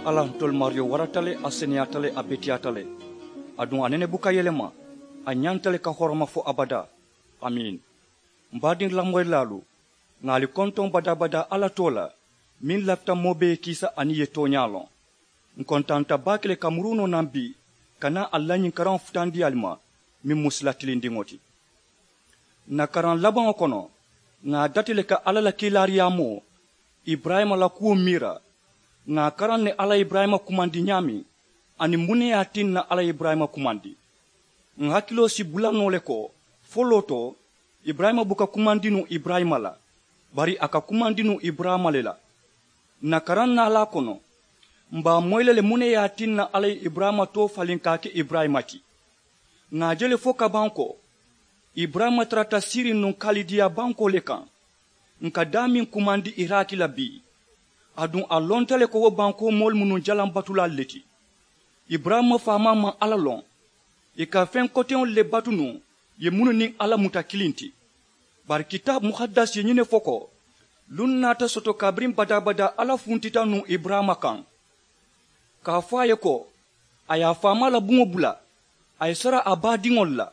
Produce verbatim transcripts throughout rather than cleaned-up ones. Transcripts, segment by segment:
Alla ntolu maariyo warata le, a seneyaata le, a beteyaata le. Aduŋ a nene buka yelema. A ñanta le ka horoma fo abadaa. Amiin. M baadiŋ lamoyilaalu, ŋà ali kontoŋ badaa-badaa alla too la, meŋ lafita moo bee ye kiisa aniŋ ì ye tooñaa loŋ. Ǹ kontaanta baake le ka muruu noo naŋ bii, ka naa ali la ñiŋ karaŋo futandi ali ma, meŋ mu sila tilindiŋo ti. Ǹ na karaŋ labaŋo kono, ŋà a dati le ka alla la kiilaariyaamoo, iburayima la kuwo miira. Ŋà a karaŋ ne alla ye iburayima kumandi ñaameŋ, aniŋ muŋ ne ye a tinna alla ye iburayima kumandi. Ǹ hakiloo si bula noo le ko, foloo to, iburayima buka kumandi nuŋ iburayima la, bari a ka kumandi nuŋ iburayima le la. Ǹ na karaŋ naalaa kono, m̀ be a moyi la le muŋ ne ye a tinna alla ye iburayima too faliŋ ka a ke iburayima ti. Ŋà a je le fo ka baŋ ko, iburayima tarata siiriŋ nuŋ kalidiya bankoo le kaŋ. Ǹ ka daameŋ kumandi iraki la bii. Aduŋ a lonta le ko wo bankoo moolu mu nuŋ jalaŋ batulaalu le ti. Iburayima faamaa maŋ alla loŋ. Ì ka feŋ koteŋolu le batu nuŋ, ì ye mennu niŋ alla muta kiliŋ ti. Bari kitaabu muhadasi ye ñiŋ ne fo ko, luŋ naata soto kabiriŋ badaa-badaa alla funtita nuŋ iburayima kaŋ, ka a fo a ye ko, a ye a faamaa la buŋo bula, a ye sara a baadiŋolu la,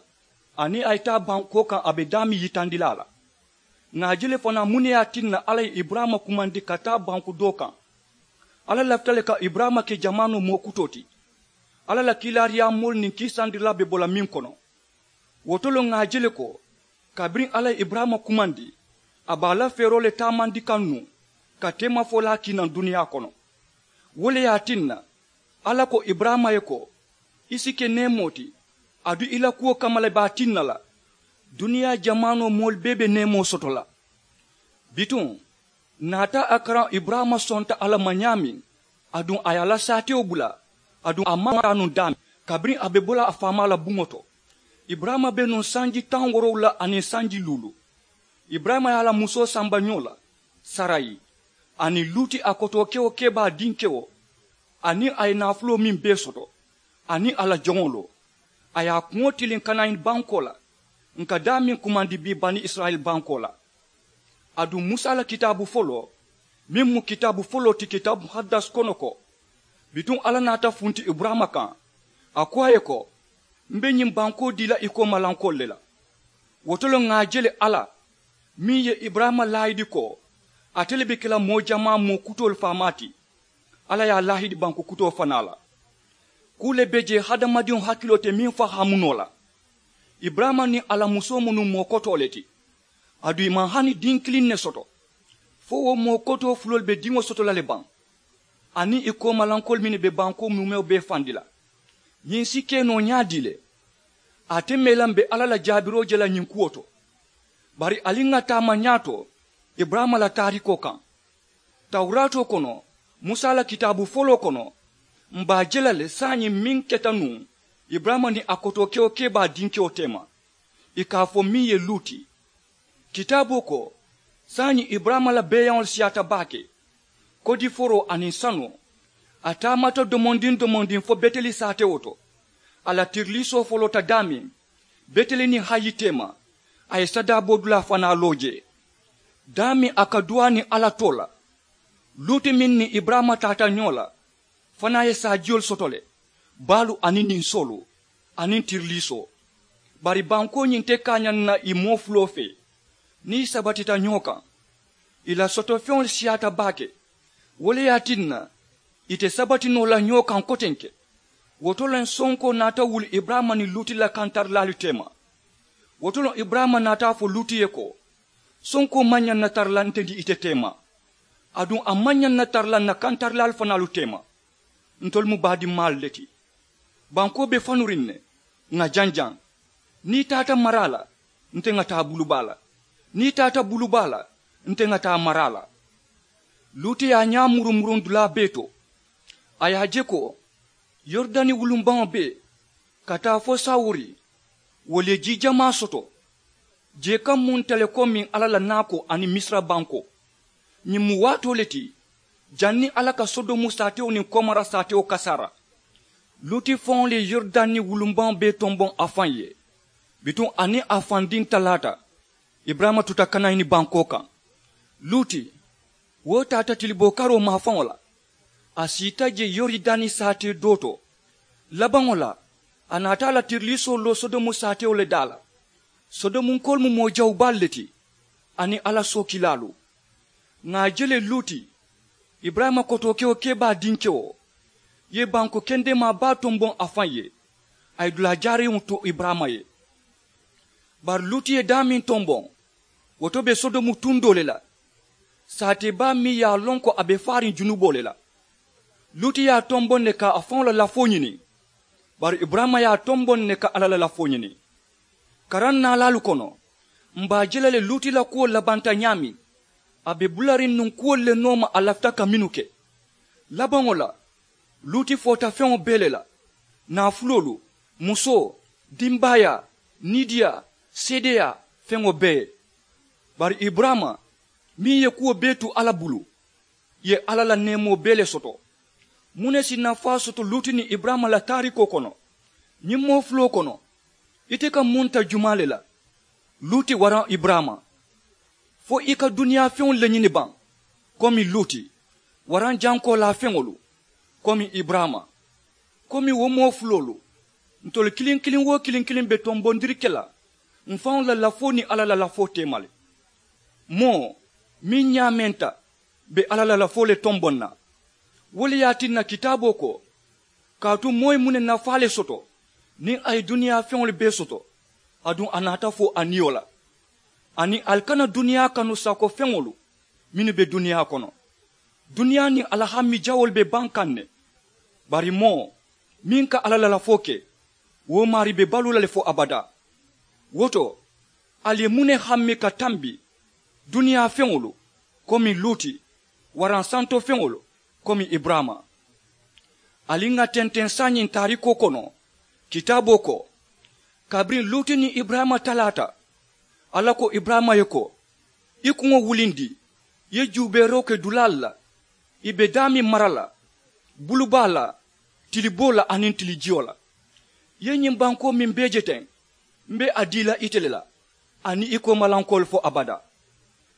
aniŋ a ye taa bankoo kaŋ a be daameŋ yitandi la a la. Ŋà a je le fanaa muŋ ne ye a tinna alla ye iburayima kumandi ka taa banku doo kaŋ. Alla lafita le ka iburayima ke jamaanoo moo kutoo ti. Alla la kiilaariyaamoolu niŋ kiisandirilaa be bo la meŋ kono. Wo to le ŋà a je le ko, kabiriŋ alla ye iburayima kumandi, a be a la feeroo le taamandi kaŋ nuŋ, ka teemafolaa kii naŋ duniyaa kono. Wo le ye a tinna, alla ko iburayima ye ko, i si ke neemoo ti, aduŋ i la kuwo kamma le be a tinna la, duniyaa jamaanoo moolu bee be neemoo soto la. Bituŋ, naata a karaŋ iburayima sonta alla ma ñaameŋ, aduŋ a ye a la saatewo bula, aduŋ a maŋ taa nuŋ daameŋ, kabiriŋ a be bo la a faamaa la buŋo to. Iburayima be nuŋ sanji taŋ woorowula aniŋ sanji luulu. Iburayima ye a la musoo samba ñoo la, sarayi, aniŋ luuti a kotoo kewo kebaa dinkewo, aniŋ a ye naafuloo meŋ bee soto, aniŋ a la joŋolu, a ye a kuŋo tiliŋ kanaani bankoo la, ǹ ka daameŋ kumandi bii bani isirayila bankoo la. Aduŋ musa la kitaabu foloo, meŋ mu kitaabu foloo ti kitaabu muhadasi kono ko, bituŋ alla naata funti iburayima kaŋ, a ko a ye ko, m be ñiŋ bankoo dii la i koomalankoolu le la. Wo to le ŋà a je le alla, meŋ ye iburayima laahidi ko, ate le be ke la moo jamaa moo kutoolu faamaa ti. Alla ye a laahidi banku kutoo fanaa la. Kuu le be jee hadamadiŋo hakiloo te meŋ fahaamu noo la. Iburayima niŋ a la musoo mu nuŋ moo kotoo le ti. Aduŋ ì maŋ hani diŋ kiliŋ ne soto. Fo wo moo kotoo fuloolu be diŋo soto la le baŋ, aniŋ ì koomalankoolu mennu be bankoo muumewo bee fandi la. Ñiŋ si ke noo ñaadii le? Ate mee la m̀ be alla la jaabiroo je la ñiŋ kuwo to. Bari ali ŋà taama ñaato iburayima la taarikoo kaŋ. Tawuraatoo kono, musa la kitaabu foloo kono, m̀ be a je la le saayiŋ meŋ keta nuŋ iburayima niŋ a kotoo kewo kebaa dinkewo teema, ì ka a fo meŋ ye luuti. Kitaaboo ko, saayiŋ iburayima la beeyaŋolu siyaata baake. Kodiforoo aniŋ sanoo, a taamata domondiŋ domondiŋ fo beteli saatewo to. A la tiriliisoo foloota daameŋ, beteli niŋ hayi teema, a ye sadaaboo dulaa fanaa loo jee. Daameŋ a ka duwaa niŋ alla too la. Luuti meŋ niŋ iburayima taata ñoo la, fanaa ye saajiyolu soto le, baalu aniŋ ninsoolu, aniŋ tiriliisoo. Bari bankoo ñiŋ te kaañaŋ na ì moo fuloo fee, niŋ ì sabatita ñoo kaŋ. Ì la sotofeŋolu siyaata baake. Wo le ye a tinna, ì te sabati noo la ñoo kaŋ kotenke. Wo to le sonkoo naata wuli iburayima niŋ luuti la kantarilaalu teema. Wo to le iburayima naata a fo luuti ye ko, sonkoo maŋ ñaŋ na tara la nte niŋ ite teema. Aduŋ a maŋ ñaŋ na tara la ǹ na kantarilaalu fanaalu teema. Ntolu mu baadimmaalu le ti. Bankoo be fanuriŋ ne, ŋà janjaŋ. Niŋ i taata maraa la, nte ŋà taa bulubaa la. Niŋ i taata bulubaa la, nte ŋà taa maraa la. Luuti ye a ñaa murumuruŋ dulaa bee to. A ye a je ko, yoridani wulumbaŋo bee, ka taa fo sawuri, wolu ye jii jamaa soto. Jee kaŋ mu nte le ko meŋ alla la naakoo aniŋ misira bankoo. Ñiŋ mu waatoo le ti, janniŋ alla ka sodomu saatewo niŋ komora saatewo kasaara. Luuti faŋo le ye yoridani wulumbaŋo bee tomboŋ a faŋ ye. Bituŋ a niŋ a faŋ diŋ talaata, iburayima tuta kanayini bankoo kaŋ. Luuti, wo taata tiliboo karoo maafaŋo la. A siita je yoridani saatee doo to. Labaŋo la, a naata a la tiriliisoo loo sodomu saatewo le daa la. Sodomunkoolu mu moo jawu baalu le ti, aniŋ alla sookilaalu. Ŋà a je le luuti, iburayima kotookewo kebaa dinkewo, ye banku kendemaa baa tomboŋ a faŋ ye. A ye dulaa jaariŋo tu iburayima ye. Bari luuti ye daameŋ tomboŋ, wo to be sodomu tundoo le la. Saatee baa meŋ ye a loŋ ko a be faariŋ junuboo le la, luuti ye a tomboŋ ne ka a faŋo la lafoo ñini. Bari iburayima ye a tomboŋ ne ka alla la lafoo ñini. Karaŋ naalaalu kono, m̀ be a je la le luuti la kuwo labanta ñaameŋ. A be bulariŋ nuŋ kuwolu le nooma a lafita ka mennu ke. Labaŋo la, luuti foota feŋo bee le la, naafuloolu, musoo, dimbaayaa, niidiyaa, seedeyaa, feŋo bee. Bari iburayima, meŋ ye kuwo bee tu alla bulu, ye alla la neemoo bee le soto. Muŋ ne si nafaa soto luuti niŋ iburayima la taariikoo kono? Ñiŋ moo fuloo kono, ite ka muŋ ta jumaa le la? Luuti waraŋ iburayima? Fo i ka duniyaa feŋolu le ñini baŋ, komi luuti, waraŋ jankoolaa feŋolu, komi iburayima? Komi wo moo fuloolu, ntolu kiliŋ kiliŋ woo kiliŋ kiliŋ be tombondiri ke la m̀ faŋo la lafoo niŋ alla la lafoo teema le. Moo meŋ ñaamenta be alla la lafoo le tomboŋ na. Wo le ye a tinna kitaaboo ko, kaatu moo ye muŋ ne nafaa le soto niŋ a ye duniyaa feŋolu bee soto, aduŋ a naata fo a niyo la? Aniŋ ali kana duniyaa kanu sako feŋolu mennu be duniyaa kono. Duniyaa niŋ a la hammi jawoolu be baŋ kaŋ ne. Bari moo meŋ ka alla la lafoo ke, wo maarii be baluu la le fo abadaa. Wo to, ali ye muŋ ne hammi ka tambi duniyaa feŋolu, komi luuti, waraŋ santo feŋolu, komi iburayima? Ali ŋà tenteŋ saayiŋ taariikoo kono, kitaaboo ko, kabiriŋ luuti niŋ iburayima talaata, alla ko iburayima ye ko, i kuŋo wulindi, i ye juubeeroo ke dulaalu la, i be daameŋ mara la, bulubaa la, tiliboo la aniŋ tilijiyo la. I ye ñiŋ bankoo meŋ bee je teŋ, m̀ be a dii la ite le la, aniŋ i koomalankoolu fo abadaa.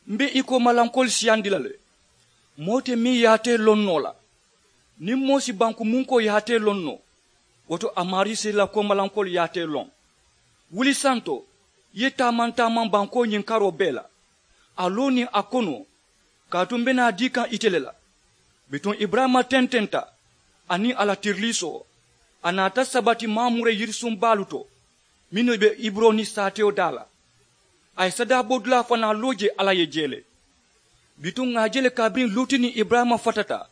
M̀ be i koomalankoolu siyandi la le. Moo te meŋ yaatee loŋ noo la. Niŋ moo si banku munkoo yaatee loŋ noo, wo to a maarii si i la koomalankoolu yaatee loŋ. Wuli santo, i ye taamaŋ taamaŋ bankoo ñiŋ karoo bee la, a loo niŋ a konoo, kaatu m̀ be naa dii kaŋ ite le la. Bituŋ iburayima tententa, aniŋ a la tiriliisoo, a naata sabati mamure yirisuŋ baalu to, mennu be heburoni saatewo daa la. A ye sadaabodulaa fanaa loo jee alla ye jee le. Bituŋ ŋà a je le kabiriŋ luuti niŋ iburayima fatata,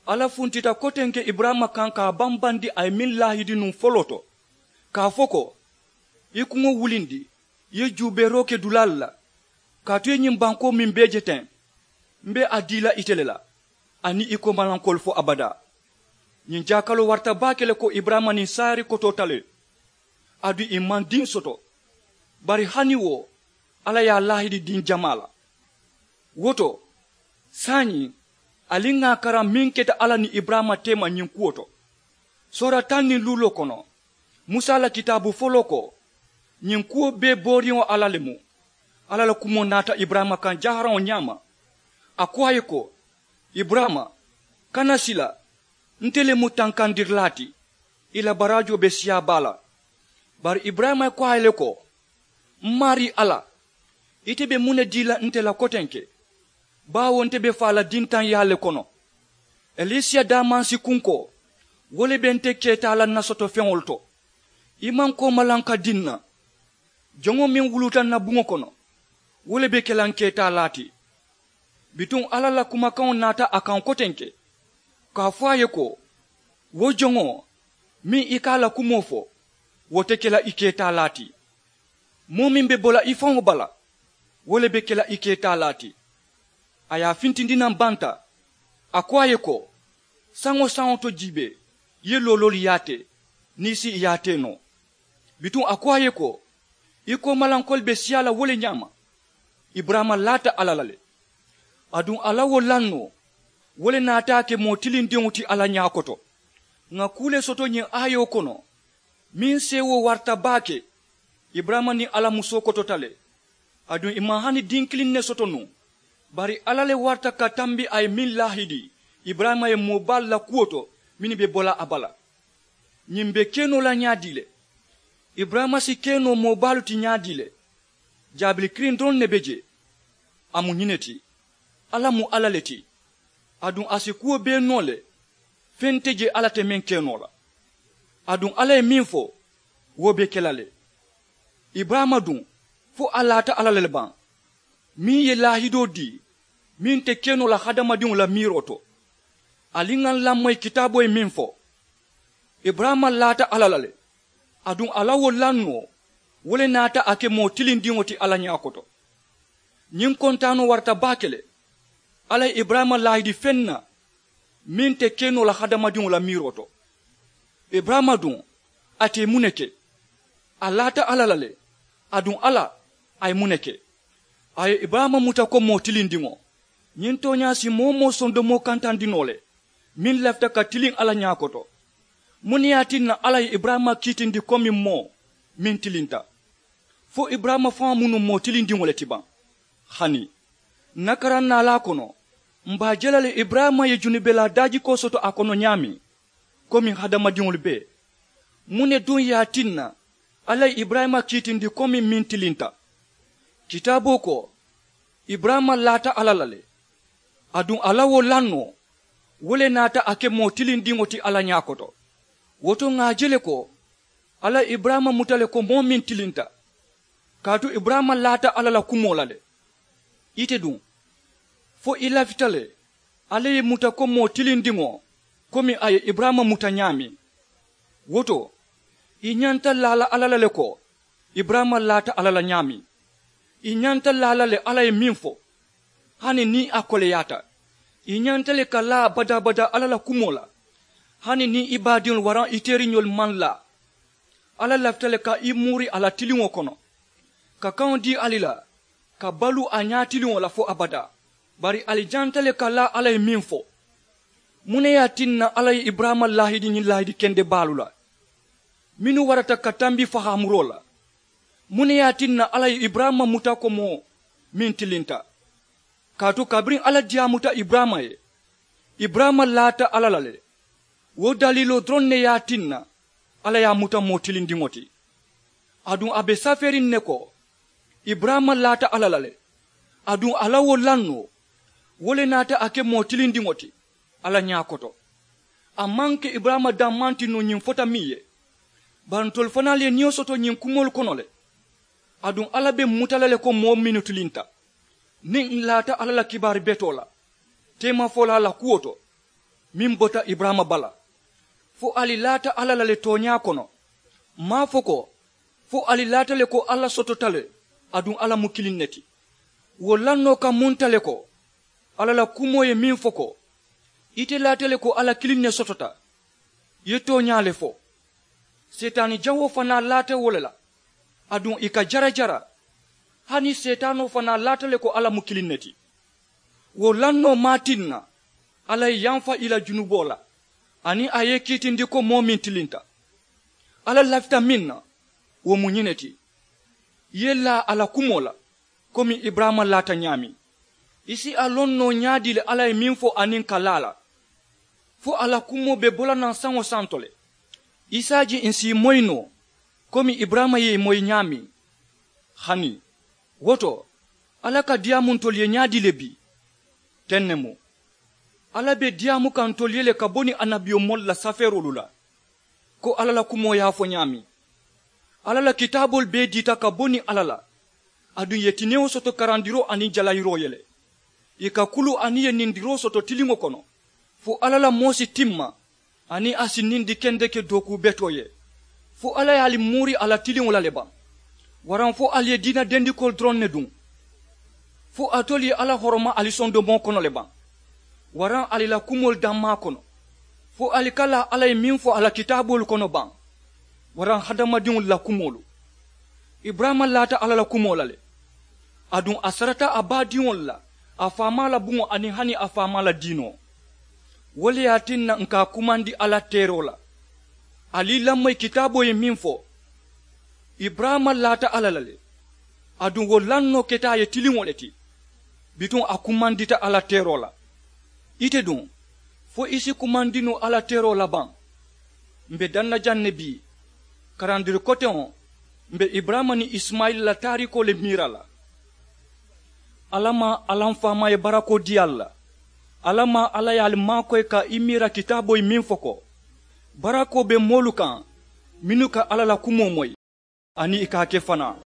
alla funtita kotenke iburayima kaŋ ka a bambandi a ye meŋ laahidi nuŋ foloo to, ka a fo ko, i kuŋo wulindi, i ye juubeeroo ke dulaalu la, kaatu i ye ñiŋ bankoo meŋ bee je teŋ, m̀ be a dii la ite le la, aniŋ i koomalankoolu fo abadaa. Ñiŋ jaakaloo warata baake le ko iburayima niŋ saari kotoota le. Aduŋ i maŋ diŋ soto. Bari hani wo, alla ye a laahidi diŋ jamaa la. Wo to, saayiŋ, ali ŋà a karaŋ meŋ keta alla niŋ iburayima teema ñiŋ kuwo to. Soora taŋ niŋ luuloo kono, musa la kitaabu foloo ko, ñiŋ kuwo bee booriŋo alla le mu. Alla la kumoo naata iburayima kaŋ jaharaŋo ñaama. A ko a ye ko, iburayima, kana sila, nte le mu tankandirilaa ti, i la baraajoo be siyaa baa la. Bari iburayima ye ko a ye le ko, m maarii alla, ite be muŋ ne dii la nte la kotenke? Baawo nte be faa la dintaŋyaa le kono. Elisiya daamansi kunkoo, wo le be nte keetaa la n na soto feŋolu to. I maŋ koomalaŋ ka dii n na. Joŋo meŋ wuluuta n na buŋo kono, wo le be ke la n keetaalaa ti. Bituŋ alla la kumakaŋo naata a kaŋ kotenke, ka a fo a ye ko, wo joŋo meŋ i ka a la kumoo fo, wo te ke la i keetaalaa ti. Moo meŋ be bo la i faŋo bala, wo le be ke la i keetaalaa ti. A ye a fintindi naŋ banta. A ko a ye ko, saŋo saŋo to jiibee, i ye looloolu yaatee, niŋ i si i yaatee noo. Bituŋ a ko a ye ko, i koomalankoolu be siyaa la wo le ñaama. Iburayima laata alla la le. Aduŋ a la wo lannoo, wo le naata a ke moo tilindiŋo ti alla ñaa koto. Ŋà kuu le soto ñiŋ aayoo kono, meŋ seewoo warata baake. Iburayima niŋ alla musoo kotota le. Aduŋ i maŋ hani diŋ kiliŋ ne soto nuŋ. Bari alla le warata ka tambi a ye meŋ laahidi, Iburayima ye moo baalu la kuwo to mennu be bo la a bala. Ñiŋ be ke noo la ñaadii le? Iburayima si ke noo moo baalu ti ñaadii le? Jaabili kiliŋ doroŋ ne be jee. A mu ñiŋ ne ti, alla mu alla le ti. Aduŋ a si kuwo bee noo le. Feŋ te jee alla te meŋ ke noo la. Aduŋ alla ye meŋ fo, wo be ke la le. Iburayima duŋ, fo a laata alla la le baŋ, meŋ ye laahidoo dii meŋ te ke noo la hadamadiŋo la miiroo to. Ali ŋa n lamoyi kitaaboo ye meŋ fo. Iburayima laata alla la le. Aduŋ a la wo lannoo, wo le naata a ke moo tilindiŋo ti alla ñaa koto. Ñiŋ kontaanoo warata baake le. Alla ye iburayima laahidi feŋ na meŋ te ke noo la hadamadiŋo la miiroo to. Iburayima duŋ, ate ye muŋ ne ke? A laata alla la le. Aduŋ alla, a ye muŋ ne ke? A ye iburayima muta ko moo tilindiŋo. Ñiŋ tooñaa si moo-wo-moo sondomoo kantandi noo le, meŋ lafita ka tiliŋ alla ñaa koto. Muŋ ne ye a tinna alla ye iburayima kiitindi komiŋ moo meŋ tilinta? Fo iburayima faŋo mu nuŋ moo tilindiŋo le ti baŋ? Hani n na karaŋ naalaa kono, m be a je la le iburayima ye junubelaa daajikoo soto a kono ñaameŋ, komiŋ hadamadiŋolu bee. Muŋ ne duŋ ye a tinna alla ye iburayima kiitindi komiŋ meŋ tilinta? Kitaaboo ko, iburayima laata alla la le. Aduŋ a la wo lannoo, wo le naata a ke moo tilindiŋo ti alla ñaa koto. Wo to ŋà a je le ko, alla ye iburayima muta le ko moo meŋ tilinta. Kaatu iburayima laata alla la kumoo la le. Ite duŋ, fo i lafita le alla ye i muta ko moo tilindiŋo, komi a ye iburayima muta ñaameŋ. Wo to, i ñanta laa la alla la le ko, iburayima laata alla la ñaameŋ. I ñanta laa la le alla ye meŋ fo, hani niŋ a koleyaata. I ñanta le ka laa badaa-badaa alla la kumoo la, hani niŋ i baadiŋolu waraŋ i teeriŋolu maŋ laa. Alla lafita le ka i muuri a la tiliŋo kono, ka kaŋo dii ali la, ka baluu a ñaatiliŋo la fo abadaa. Bari ali ñanta le ka laa alla ye meŋ fo. Muŋ ne ye a tinna alla ye iburayima laahidi ñiŋ laahidi kende baalu la, mennu warata ka tambi fahaamuroo la? Muŋ ne ye a tinna alla ye iburayima muta ko moo meŋ tilinta? Kaatu kabiriŋ alla diyaamuta iburayima ye, iburayima laata alla la le. Wo daliiloo doroŋ ne ye a tinna alla ye a muta moo tilindiŋo ti. Aduŋ a be safeeriŋ ne ko, iburayima laata alla la le. Aduŋ a la wo lannoo, wo le naata a ke moo tilindiŋo ti alla ñaa koto. A maŋ ke iburayima dammaŋ ti nuŋ ñiŋ fota meŋ ye, bari ntolu fanaalu ye niyo soto ñiŋ kumoolu kono le. Aduŋ alla be m muta la le ko moo mennu tilinta, niŋ n laata alla la kibaari betoo la teemafolaa la kuwo to, meŋ bota iburayima bala. Fo ali laata alla la le tooñaa kono. M maŋ a fo ko, fo ali laata le ko alla sotota le, aduŋ alla mu kiliŋ ne ti. Wo lannoo ka munta le ko, alla la kumoo ye meŋ fo ko, ite laata le ko alla kiliŋ ne sotota. I ye tooñaa le fo. Seetaani jawoo fanaa laata wo le la, aduŋ ì ka jarajara. Hani seetaanoo fanaa laata le ko alla mu kiliŋ ne ti. Wo lannoo maŋ a tinna alla ye yamfa ì la junuboo la, aniŋ a ye i kiitindi ko moo meŋ tilinta. Alla lafita meŋ na, wo mu ñiŋ ne ti, i ye laa a la kumoo la, komi iburayima laata ñaameŋ. I si a loŋ noo ñaadii le alla ye meŋ fo aniŋ ka laa a la? Fo a la kumoo be bo la naŋ saŋo santo le. I si a je ǹ si i moyi noo, komi iburayima ye i moyi ñaameŋ. Hani wo to, alla ka diyaamu ntolu ye ñaadii le bii? Teŋ ne mu. Alla be diyaamu kaŋ ntolu ye le ka bo niŋ annabiyomoolu la safeeroolu la, ko alla la kumoo ye a fo ñaameŋ. Alla la kitaaboolu bee diita ka bo niŋ alla la, aduŋ ì ye tinewo soto karandiroo aniŋ jalayiroo ye le. Ì ka kulu aniŋ ì ye nindiroo soto tiliŋo kono, fo alla la moo si timma, aniŋ a si nindi kendeke dookuu betoo ye. Fo alla ye ali muuri a la tiliŋo la le baŋ? Waraŋ fo ali ye diina dendikoolu doroŋ ne duŋ? Fo alitolu ye alla horoma ali sondomoo kono le baŋ, waraŋ ali la kumoolu dammaa kono? Fo ali ka laa alla ye meŋ fo a la kitaaboolu kono baŋ, waraŋ hadamadiŋolu la kumoolu? Iburayima laata alla la kumoo la le, aduŋ a sarata a baadiŋolu la, a faamaa la buŋo aniŋ hani a faamaa la diinoo. Wo le ye a tinna ǹ ka a kumandi alla teeroo la. Ali i lamoyi kitaaboo ye meŋ fo, iburayima laata alla la le, aduŋ wo lannoo keta a ye tiliŋo le ti. Bituŋ a kumandita alla teeroo la. Ite duŋ, Fo i si kumandinu alla teroo la baŋ? M be daŋ na jaŋ ne bii. Karandiri koteŋo, m be iburayima niŋ isimayila la taariikoo le miira la. Alla maŋ alla m faamaa ye barakoo dii ali la. Alla maŋ alla ye ali maakoyi ka i miira kitaaboo ye meŋ fo ko, barakoo be moolu kaŋ mennu ka alla la kumoo moyi, aniŋ i ka a ke fanaa.